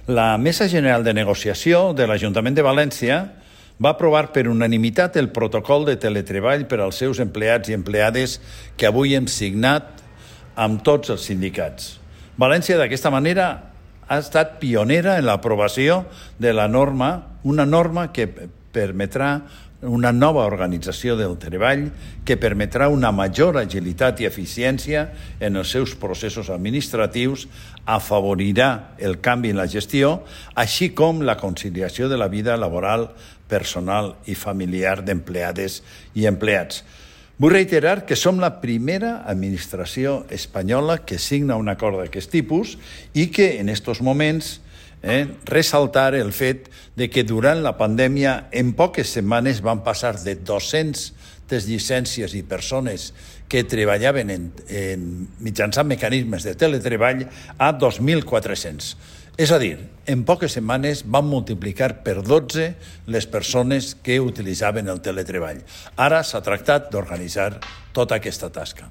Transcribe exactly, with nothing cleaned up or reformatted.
La Mesa General de Negociació de l'Ajuntament de València va aprovar per unanimitat el protocol de teletreball per als seus empleats i empleades que avui hem signat amb tots els sindicats. València, d'aquesta manera, ha estat pionera en l'aprovació de la norma, una norma que permetrà una nova organització del treball, que permetrà una major agilitat i eficiència en els seus processos administratius, afavorirà el canvi en la gestió, així com la conciliació de la vida laboral, personal i familiar d'empleades i empleats. Vull reiterar que som la primera administració espanyola que signa un acord d'aquest tipus i que en aquests moments eh, ressaltar el fet de que durant la pandèmia en poques setmanes van passar de dues-centes llicències i persones que treballaven en, en mitjançant mecanismes de teletreball a dos mil quatre-cents. És a dir, en poques setmanes van multiplicar per dotze les persones que utilitzaven el teletreball. Ara s'ha tractat d'organitzar tota aquesta tasca.